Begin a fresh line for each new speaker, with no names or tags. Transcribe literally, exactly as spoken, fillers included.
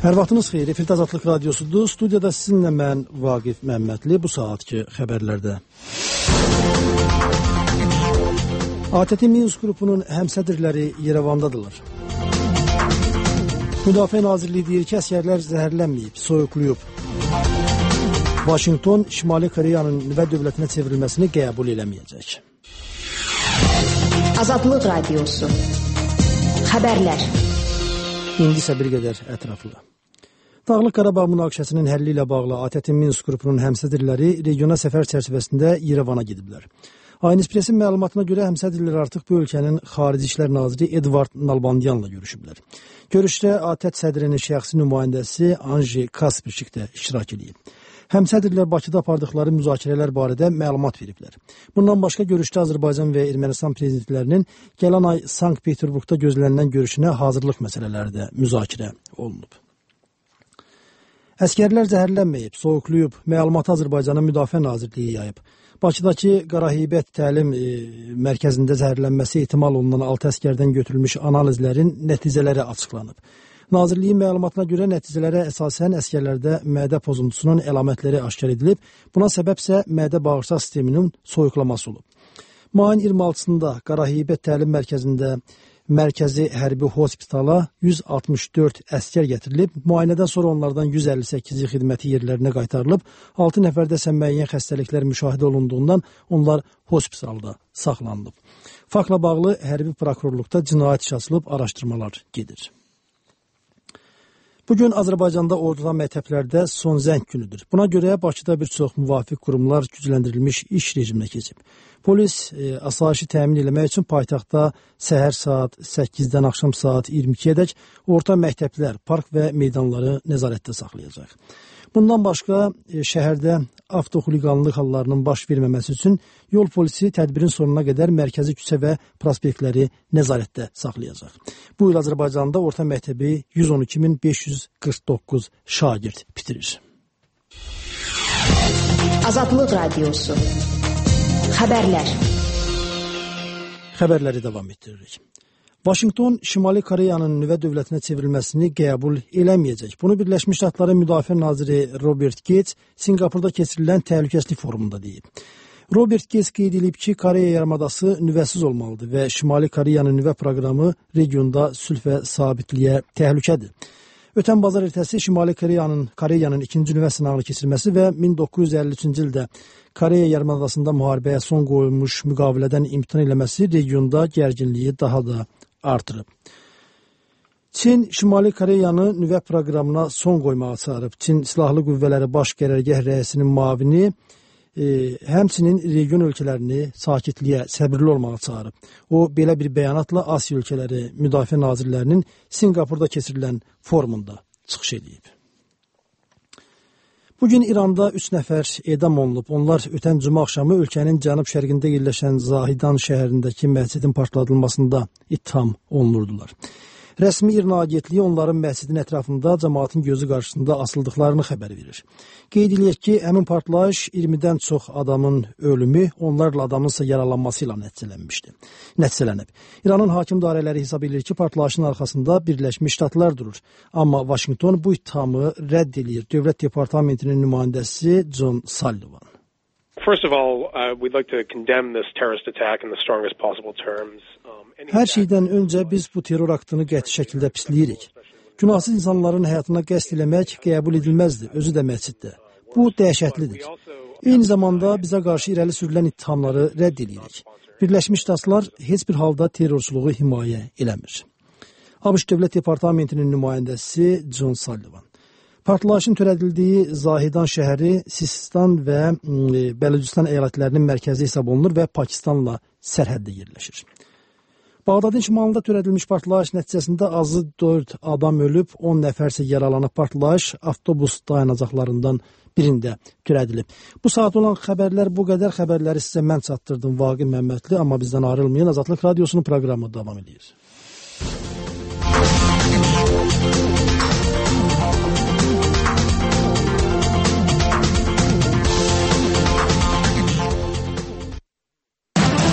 Hər vaxtınız xeyir, Efirdə Azadlıq Radiosudur. Studiyada sizinlə mən Vaqif Məmmədli bu saatki xəbərlərdə. A T T Minsk qrupunun həmsədrləri Yerevandadırlar. Müdafiə Nazirliyi deyir ki, əsgərlər zəhərlənməyib, soyuqluyub. Vaşinqton Şimali Koreyanın nüvə dövlətinə çevrilməsini qəbul eləməyəcək.
Azadlıq Radiosu. Xəbərlər.
İndi isə bir qədər ətraflı. Dağlıq Qarabağ münaqişəsinin həlli ilə bağlı A T T Minsk qrupunun həmsədrləri regiona səfər çərçivəsində Yerevana gediblər. Aynı Expressin məlumatına görə həmsədrlər artıq bu ölkənin Xarici İşlər Naziri Edvard Nalbandyanla görüşüblər. Görüşdə A T T sədrinin şəxsi nümayəndəsi Anji Kaspirçik də iştirak edib. Həmsədrlər Bakıda apardıqları müzakirələr barədə məlumat veriblər. Bundan başqa görüşdə Azərbaycan və Ermənistan prezidentlərinin gələn ay Sankt-Peterburqda gözlənilən görüşünə hazırlıq məsələləri də müzakirə olunub. Əskərlər zəhərlənməyib, soyuqluyub, məlumatı Azərbaycanın Müdafiə Nazirliyi yayıb. Bakıdakı Qaraheybət təlim e, mərkəzində zəhərlənməsi ehtimal olunan altı əskərdən götürülmüş analizlərin nəticələri açıqlanıb. Nazirliyin məlumatına görə nəticələrə əsasən əskərlərdə mədə pozuntusunun əlamətləri aşkar edilib. Buna səbəbsə mədə bağırsaq sisteminin soyuqlaması olub. Mayın iyirmi altısında Qaraheybət təlim mərkəzində Mərkəzi Hərbi Hospitala yüz altmış dörd əskər gətirilib, müayinədən sonra onlardan yüz əlli səkkizi xidməti yerlərinə qaytarılıb, altı nəfərdə isə müəyyən xəstəliklər müşahidə olunduğundan onlar hospitalda saxlanılıb. Faktla bağlı hərbi prokurorluqda cinayət işi açılıb, araşdırmalar gedir. Bugün Azərbaycanda orduda məktəblərdə son zəng günüdür. Buna görə Bakıda bir çox müvafiq qurumlar gücləndirilmiş iş rejiminə keçib. Polis e, asayişi təmin etmək üçün paytaxtda səhər saat səkkizdən axşam saat iyirmi ikiyə dək orta məktəblər, park və meydanları nəzarətdə saxlayacaq. Bundan başqa e, şəhərdə avtoxuliqanlıq hallarının baş verməməsi üçün yol polisi tədbirin sonuna qədər mərkəzi küçə və prospektləri nəzarətdə saxlayacaq. Bu il Azərbaycanda orta məktəbi yüz on iki min beş yüz qırx doqquz şagird bitirir.
Azadlıq Radiosu. Xəbərlər.
Xəbərləri davam etdiririk. Vaşinqton Şimali Koreyanın nüvə dövlətinə çevrilməsini qəbul eləməyəcək. Bunu Birləşmiş Ştatların Müdafiə Naziri Robert Gates Sinqapurda keçirilən təhlükəsizlik forumunda deyib. Robert Gates qeyd edib ki, Koreya yarımadası nüvəsiz olmalıdır və Şimali Koreyanın nüvə proqramı regionda sülh və sabitliyə təhlükədir. Ötən bazar ertəsi Şimali Koreyanın Koreyanın ikinci nüvə sınağını keçirməsi və min doqquz yüz əlli üçüncü ildə Koreya yarımadasında müharibəyə son qoyulmuş müqavilədən imtina eləməsi regionda gərginliyi daha da artırıb. Çin Şimali Koreyanı nüvə proqramına son qoymağa çağırıb. Çin Silahlı Qüvvələri Baş Qərargah rəisinin müavini e, həmçinin region ölkələrini sakitliyə, səbirli olmağa çağırıb. O, belə bir bəyanatla Asiya ölkələri müdafiə nazirlərinin Sinqapurda keçirilən forumunda çıxış edib. Bugün İranda üç nəfər edam olunub. Onlar ötən cümə axşamı ölkənin cənub-şərqində yerləşən Zahidan şəhərindəki məscidin partladılmasında ittiham olunurdular. Rəsmi İrna agentliyi onların məscidin ətrafında cəmaatın gözü qarşısında asıldıqlarını xəbər verir. Qeyd edilək ki, həmin partlayış iyirmidən çox adamın ölümü, onlarla adamın ise yaralanması ilə nəticələnmişdi. Nəticələnib. İranın hakim dairələri hesab edir ki, partlayışın arxasında Birləşmiş Ştatlar durur. Amma Vaşinqton bu ittihamı rədd edir. Dövlət Departamentinin nümayəndəsi John Sullivan.
First of all, uh, we'd like to condemn this terrorist attack in the strongest possible terms.
Hər şeydən öncə biz bu terror aktını qəti şəkildə pisləyirik. Günahsız insanların həyatına qəsd eləmək qəbul edilməzdir, özü də məsciddə. Bu dəhşətlidir. Eyni zamanda bizə qarşı irəli sürülən ittihamları rədd edirik. Birləşmiş Ştatlar heç bir halda terrorçuluğu himayə eləmir. ABŞ Dövlət Departamentinin nümayəndəsi John Sullivan. Partlayışın törədildiyi Zahidan şəhəri Sistan və Bəlücistan əyalətlərinin mərkəzi hesab olunur və Pakistanla sərhəddə yerləşir. Bağdadın şimalında törədilmiş partlayış nəticəsində azı dörd adam ölüb, on nəfər isə yaralanıb. Partlayış avtobus dayanacaqlarından birində törədilib. Bu saat olan xəbərlər bu qədər. Xəbərləri sizə mən çatdırdım, Vaqif Məmmədli, amma bizdən ayrılmayın. Azadlıq Radiosunun proqramı davam edir.